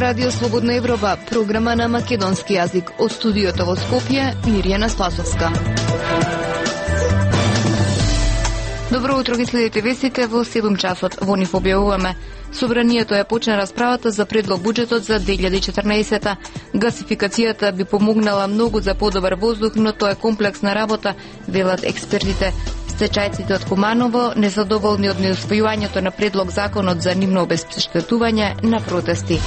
Радио Слободна Европа, програма на македонски јазик. Од студиото во Скопје, Мирјана Спасовска. Добро утро, ги следите вестите во 7 часот. Во нив објавуваме: Собранието ја почна расправата за предлог буџетот за 2014. Гасификацијата би помогнала многу за подобар воздух, но тоа е комплексна работа, велат експертите. Стечајците од Куманово незадоволни од неусвојувањето на предлог законот за нивно обезштетување на протести.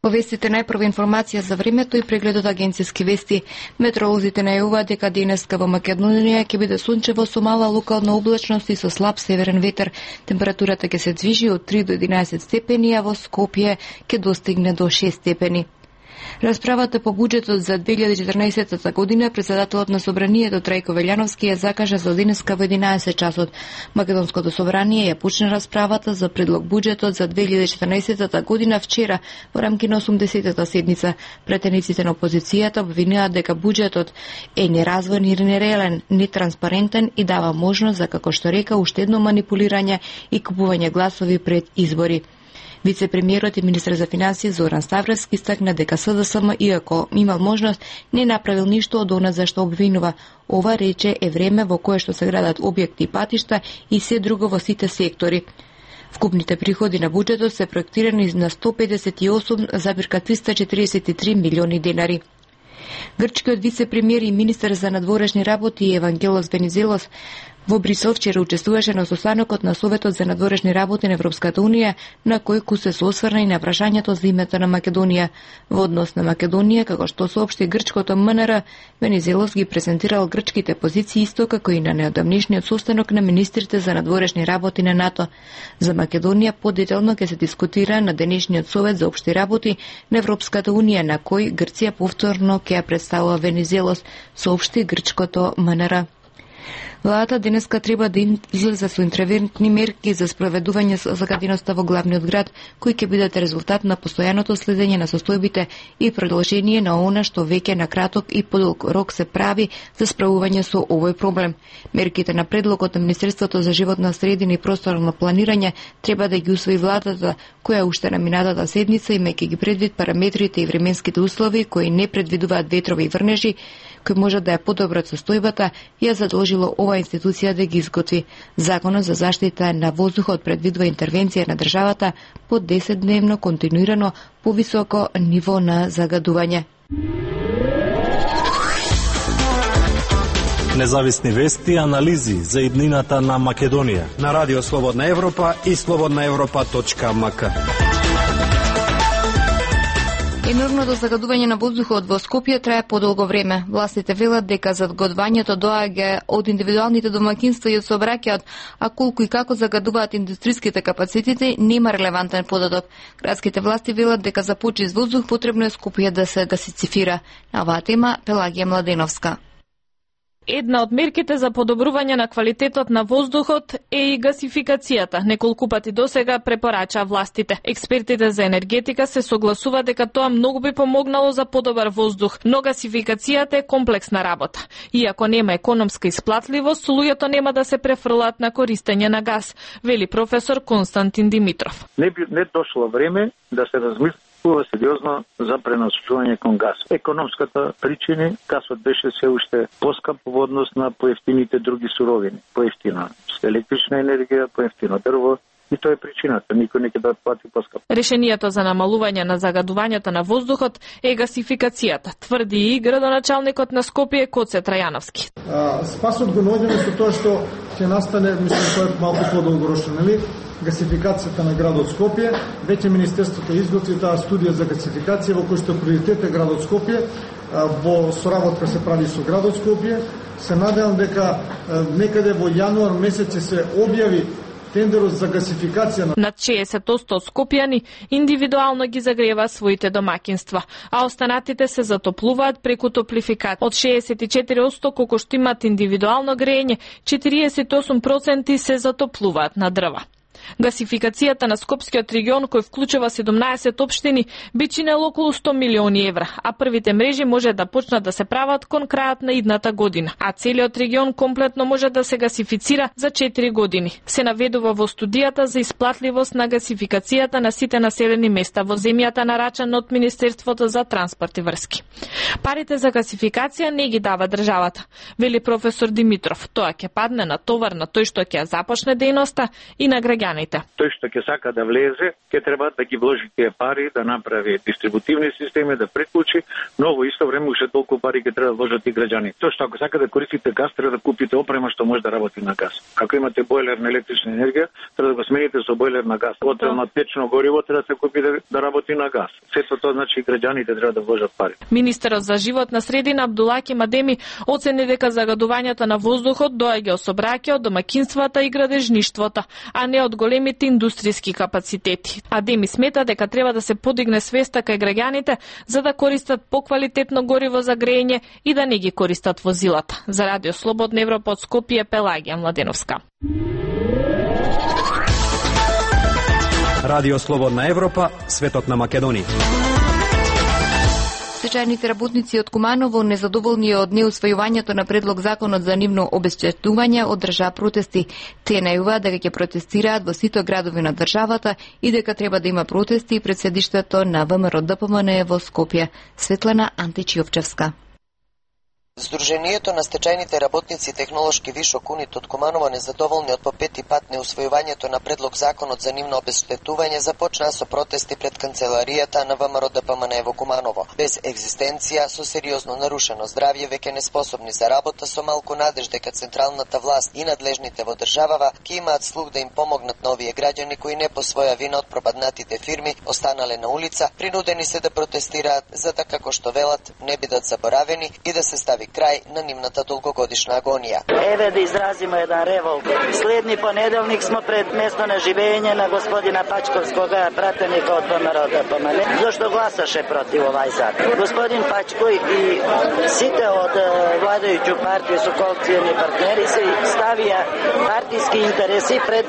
Во вестите најпрва информација за времето и прегледот агенцијски вести. Метеоролозите најавуваат дека денеска во Македонија ќе биде сончево со мала локална облачност и со слаб северен ветер. Температурата ќе се движи од 3 до 11 степени, а во Скопје ќе достигне до 6 степени. Расправата по буџетот за 2014 година председателот на Собранието Трајко Велјановски ја закажа за денеска во 11 часот. Македонското собрание ја почна расправата за предлог буџетот за 2014 година вчера во рамки на 80-та седница. Претениците на опозицијата обвинуваат дека буџетот е неразвоен и нереален, нетранспарентен и дава можност за, како што река, уштедно манипулирање и купување гласови пред избори. Вице-премиерот и министер за финансии Зоран Ставровски истакна дека СДСМ, иако имал можност, не направил ништо од она за што обвинува. Ова, рече, е време во кое што се градат објекти и патишта и се друго во сите сектори. Вкупните приходи на буџетот се проектирани на 158,343 милиони денари. Грчкиот вице-премиер и министер за надворешни работи Евангелос Венизелос во Брисел вчера учествуваше на состанокот на Советот за надворешни работи на Европската Унија, на кој се осврна и на прашањето за името на Македонија. Во однос на Македонија, како што соопшти грчкото МНР, Венизелос ги презентирал грчките позиции исто како и на неодамнишниот состанок на министрите за надворешни работи на НАТО. За Македонија подетелно ќе се дискутира на денешниот Совет за општи работи на Европската Унија, на кој Грција повторно ќе ја представува Венизелос, соопшти грчкото МНР. Владата денеска треба да излезе со интервентни мерки за спроведување загаденоста во главниот град, кои ќе бидат резултат на постојаното следење на состојбите и продолжение на она што веќе на краток и подолг рок се прави за справување со овој проблем. Мерките на предлогот на Министерството за животна средина и просторно планирање треба да ги усвои владата, која уште на минатата седница, имајќи ги предвид параметрите и временските услови кои не предвидуваат ветрови и врнежи, кој може да ја подобрат состојбата, ја задолжило ова институција да ги изготви. Законот за заштита на воздухот предвидува интервенција на државата по 10-дневно континуирано повисоко ниво на загадување. Независни вести и анализи за иднината на Македонија на Радио Слободна Европа и slobodnaevropa.mk. Енормното загадување на воздухот во Скопје трае подолго време. Властите велат дека загадувањето доаѓа од индивидуалните домаќинства и од сообраќајот, а колку и како загадуваат индустриските капацитети нема релевантен податок. Градските власти велат дека за почист воздух потребно е Скопје да се гасифицира. На оваа тема Пелагија Младеновска. Една од мерките за подобрување на квалитетот на воздухот е и гасификацијата. Неколку пати досега препорача властите. Експертите за енергетика се согласуваат дека тоа многу би помогнало за подобар воздух, но гасификацијата е комплексна работа. Иако нема економска исплатливост, луѓето нема да се префрлат на користење на газ, вели професор Константин Димитров. Не дошло време да се размисли сериозно за пренасочување кон газ. Економската причина, газот беше се уште поскап во однос на поевтините други суровини. Поевтина електрична енергија, поевтино дрво, и тоа е причината. Никој не ќе да плати поскап. Решението за намалување на загадувањето на воздухот е гасификацијата, тврди и градоначалникот на Скопје Коце Трајановски. Спасот го наоѓаме со тоа што ќе настане, мислам, тоа е малку подолгорочно, нели? Гасификацијата на градот Скопје. Веќе Министерството изготви таа студија за гасификација во кој што приоритет е градот Скопје, во соработка се прави со градот Скопје. Се надевам дека некаде во јануар месец се објави тендерот за гасификација. Над 60% скопјани индивидуално ги загрева своите домаќинства, а останатите се затоплуваат преку топлификат. Од 64% колку што имаат индивидуално грејење, 48% се затоплуваат на дрва. Гасификацијата на Скопскиот регион, кој вклучува 17 општини, би чинело околу 100 милиони евра, а првите мрежи може да почнат да се прават кон крајот на идната година, а целиот регион комплетно може да се гасифицира за 4 години. Се наведува во студијата за исплатливост на гасификацијата на сите населени места во земјата, нарачана од Министерството за транспорт и врски. Парите за гасификација не ги дава државата, вели професор Димитров. Тоа ќе падне на товар на тој што ќе започне дејноста и на граѓаните. Тој што ќе сака да влезе, ќе треба да ги вложи тие пари, да направи дистрибутивни системи, да приклучи, но во исто време уште толку пари ќе треба да вложат и граѓани. Тоа што ако сака да користите газ, треба да купите опрема што може да работи на газ. Ако имате бойлер на електрична енергија, треба да го смените со бойлер на газ. Отел на течно гориво треба да се купи да работи на газ. Сето тоа значи и граѓаните треба да вложат пари. Министерот за животна средина Абдулаки Мадеми оцени дека загадувањето на воздухот доаѓа од сообраќајот, домаќинствата и градежништвото, а не од големите индустријски капацитети. Адеми смета дека треба да се подигне свеста кај граѓаните за да користат поквалитетно гориво за грејење и да не ги користат возилата. За Радио Слободна Европа од Скопје, Пелагија Младеновска. Радио Слободна Европа, светот на Македонија. Стечајните работници од Куманово, незадоволни од неусвојувањето на предлог законот за нивно обезчетување, одржаа протести. Тие најавуваат дека ќе протестираат во сите градови на државата и дека треба да има протести пред седиштето на ВМРО-ДПМНЕ во Скопје. Светлана Античиовчевска. Сдруженијето на стечајните работници Технолошки Вишок Унит од Куманово, незадоволни од по пети пат неусвојувањето на предлог законот за нивно обезштетување, започнаа со протести пред канцеларијата на ВМРО-ДПМНЕ во Куманово. Без екзистенција, со сериозно нарушено здравје, веќе неспособни за работа, со малку надеж дека централната власт и надлежните во државава ќе имаат слух да им помогнат на овие граѓани кои не по своја вина од пропаднатите фирми останале на улица, принудени се да протестираат за да, како што велат, не бидат заборавени и да се стави крај на нивната долгогодишна агонија. Еве да изразимо еден револт. Следни понеделник смо пред место на живење на господина Пачковскога, пратеника од ВМРО-ДПМНЕ, зашто гласаше против овај закон. Господин Пачко и сите од владајќу партија со коалициони партнери се ставија партиски интереси пред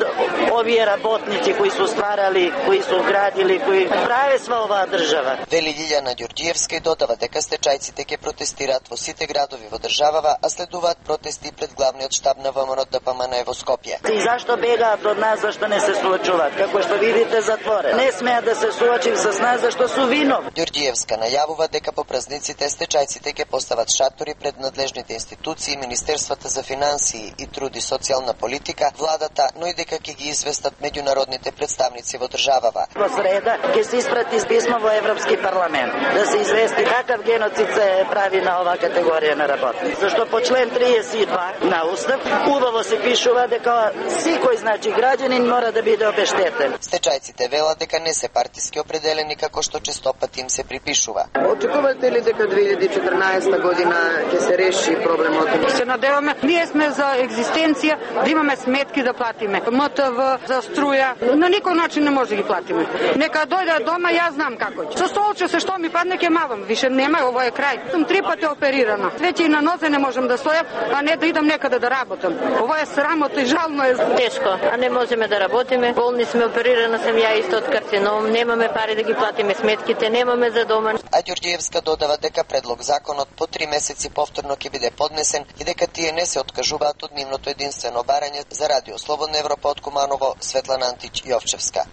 овие работници кои се стварали, кои се градили, кои праве сва оваа држава. Вели Лилјана Ѓорѓиевска и додава дека стечајците ќе протестираат во сите градови во државава, а следуваат протести пред главниот штаб на ВМРО-ДПМНЕ во Скопје. И зашто бегаат од нас, зашто не се соочуваат? Како што видите, затворен. Не смеат да се соочи со нас, зашто су виновни. Ѓорѓиевска најавува дека по празниците стечајците ќе постават шатори пред надлежните институции, Министерствата за финансии и труд и социјална политика, владата, но и дека ќе ги известат меѓународните представници во државава. Во среда ќе се испрати писмо во Европски парламент да се извести какав геноцид се прави на оваа категорија на работници. Зашто по член 32 на Устав убаво се пишува дека секој граѓанин мора да биде обештетен. Стечајците велат дека не се партиски определени како што честопати им се припишува. Очекувате ли дека 2014 година ќе се реши проблемот? Се надеваме, ние сме за екзистенција, да имаме сметки да платиме. МТВ за струја, на никој начин не може да ги платиме. Нека дојдат дома, јас знам како ќе. Со столче се што ми падне ќе мавам, више нема, ово е крај. Сум 3 пати оперирана. Веќе и на нозе не можам да стојам, а не да идам некаде да работам. Ово е срамота и жално е. Тешко, а не можеме да работиме. Болни сме, оперирана сам ја исто од карцином, немаме пари да ги платиме сметките, немаме за дома. А Ѓорѓиевска додава дека предлог законот по 3 месеци повторно ќе биде поднесен и дека тие не се откажуваат од нивното единствено барање. За Радио Слободна Европа од Куманово, Светлана Антич-Јовчевска.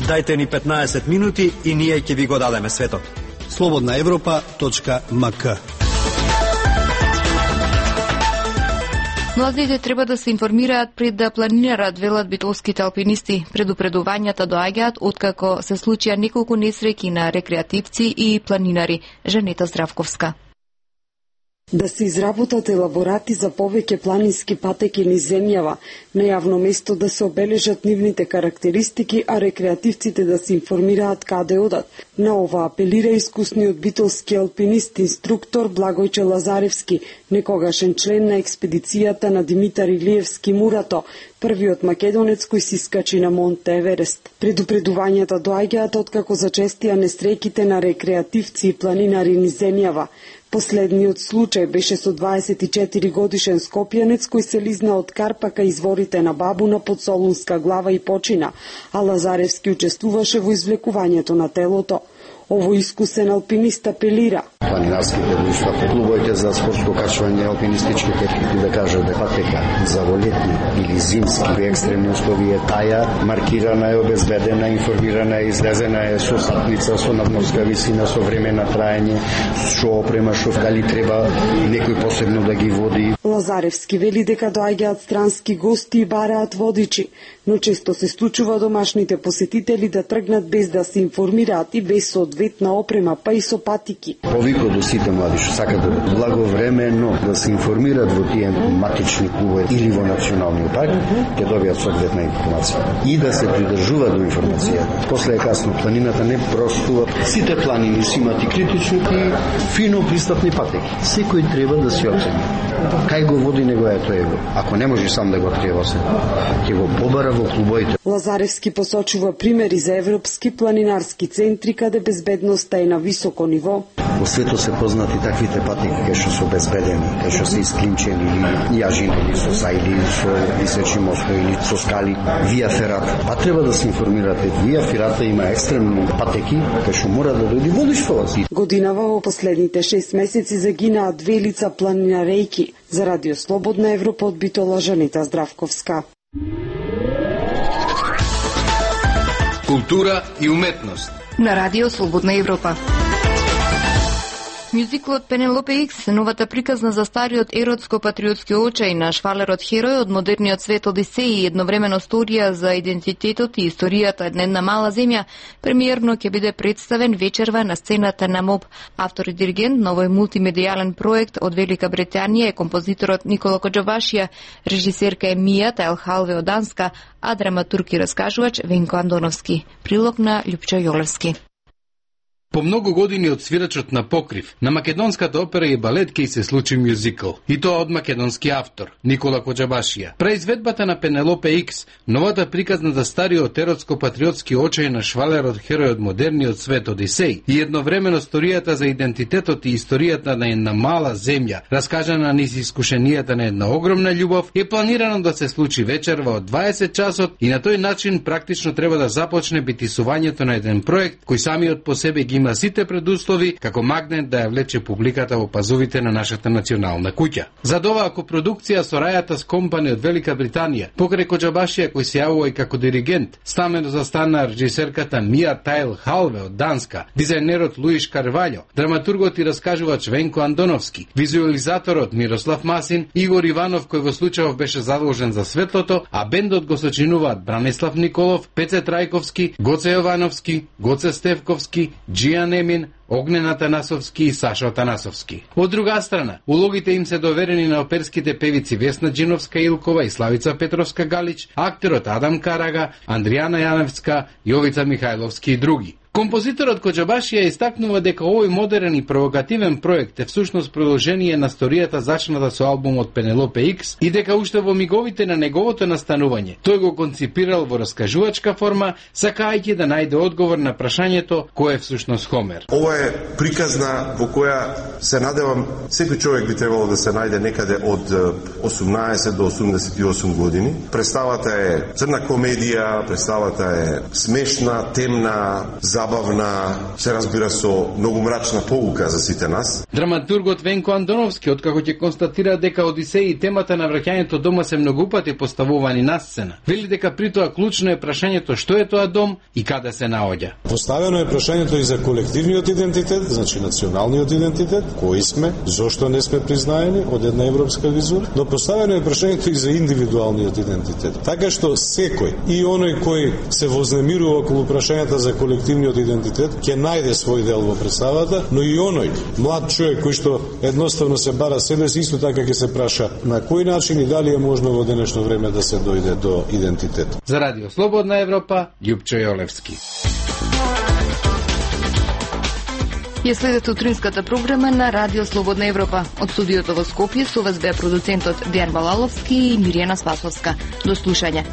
Дајте ни 15 минути и ние ќе ви го дадеме светот. slobodnaevropa.mk. Младите треба да се информираат пред да планинарат, велат битолските алпинисти. Предупредувањата доаѓаат откако се случија неколку несреќи на рекреативци и планинари. Жанета Здравковска. Да се изработат елаборати за повеќе планински патеки низ земјава, на јавно место да се обележат нивните карактеристики, а рекреативците да се информираат каде одат. На ова апелира искусниот битолски алпинист, инструктор Благојче Лазаревски, некогашен член на експедицијата на Димитар Илиевски Мурато, првиот македонец кој си скачи на Монте Еверест. Предупредувањата доаѓаат откако зачестија несреќите на рекреативци и планинари низ земјава. Последниот случај беше со 24 годишен скопјанец кој се лизна од Карпака изворите на Бабуна под Солунска глава и почина, а Лазаревски учествуваше во извлекувањето на телото. Ово искусен алпинист апелира. Планинарските друштва, клубовите за спортско качвање, алпинистичките, да кажат да патека за летни или зимски екстремни услови е таја, маркирана е, обезбедена, информирана е, излезена е со сатница, со надморска висина, со време на траење, со опрема, што дали треба некој посебно да ги води. Лазаревски вели дека доаѓаат странски гости и бараат водичи, но често се случува домашните посетители да тргнат без да се информираат и без соодветна опрема, па и со патики. Повикот до сите млади што сакат да благовремено да се информираат во тие матични клубови или во националниот парк, ќе добијат соодветна информација и да се придржуваат до информацијата. После е касно, планината не простува. Сите планини си имат и критични и фино пристапни патеки. Секој треба да се оцени. Кај го води неговото его. Ако не може сам да го открие се, ќе го побара во клубовите. Лазаревски посочува примери за европски планинарски центри каде безбедноста е на високо ниво. Во светот се познати таквите патеки кај што се обезбедени, кај што се исклинчени или јажини, со сајли, со височи мостови или со скали. Вија Ферата. Па треба да се информирате. Вија Ферата има екстремни патеки кај што мора да дојде водиштова. Годинава во последните 6 месеци загинаа 2 лица планинарејки. За Радио Слободна Европа од Битола Жанита Здравковска. Култура и уметност. На Радио Слободна Европа. Мюзиклот Пенелопе Икс, новата приказна за стариот еротско-патриотски очај на швалерот херој од модерниот свет Одисеј и едновремено сторија за идентитетот и историјата на една мала земја, премиерно ќе биде представен вечерва на сцената на МОБ. Автор и диригент на овој мултимедијален проект од Велика Британија е композиторот Никола Коџабашија, режисерка е Мија Тајлхалве од Данска, а драматург и раскажувач Венко Андоновски. Прилог на Љупчо Јолевски. По многу години од свирачот на покрив, на македонската опера и балет ќе се случи мюзикл, и тоа од македонски автор, Никола Коџабашија. Преизведбата на Пенелопе Икс, новата приказна за стариот еротско-патриотски очај на швалерот херој од модерниот свет Одисеј и едновремено сторијата за идентитетот и историјата на една мала земја, раскажана низ искушенијата на една огромна љубов, е планирано да се случи вечерва од 20 часот и на тој начин практично треба да започне битисувањето на еден проект кој самиот по себе ги има сите предуслови како магнет да ја влече публиката во пазувите на нашата национална куќа. За оваа копродукција со Рајатас Компани од Велика Британија, покрај Коџабашија кој се јавува и како диригент, стамено застана режисерката Мија Тајлхалве од Данска, дизајнерот Луиш Карваљо, драматургот и раскажувач Венко Андоновски, визуализаторот Мирослав Масин, Игор Иванов кој во случајов беше задолжен за светлото, а бендот го сочинуваат Бранислав Николов, Пеце Трајковски, Гоце Јовановски, Гоце Стевковски, Джијан Емин, Огнен Атанасовски и Сашо Атанасовски. Од друга страна, улогите им се доверени на оперските певици Весна Джиновска Илкова и Славица Петровска Галич, актерот Адам Карага, Андријана Јаневска, Јовица Михајловски и други. Композиторот Коџабашија истакнува дека овој модерен и провокативен проект е всушност продолжение на сторијата зачната со албумот Пенелопе Икс и дека уште во миговите на неговото настанување тој го конципирал во раскажувачка форма, сакајќи да најде одговор на прашањето кој е всушност Хомер. Ова е приказна во која се надевам секој човек би требало да се најде некаде од 18 до 88 години. Представата е црна комедија, представата е смешна, темна, забавна, се разбира со многу мрачна поука за сите нас. Драматургот Венко Андоновски, откако ќе констатира дека Одисеј и темата на враќањето дома се многу пати поставувани на сцена, вели дека при тоа клучно е прашањето што е тоа дом и каде се наоѓа. Поставено е прашањето и за колективниот идентитет, значи националниот идентитет, кои сме, зошто не сме признаени од една европска визура, но поставено е прашањето и за индивидуалниот идентитет. Така што секој и оној кој се вознемирува околу прашањата за колективниот идентитет ќе најде свој дел во представата, но и оној млад човек кој што едноставно се бара себе си, исто така ќе се праша на кој начин и дали е можно во денешно време да се дојде до идентитет. За Радио Слободна Европа, Љупчо Јолевски. Ја следете утринската програма на Радио Слободна Европа. Од студиото во Скопје со вас беа продуцентот Дејан Балаловски и Миријана Спасовска. До слушање.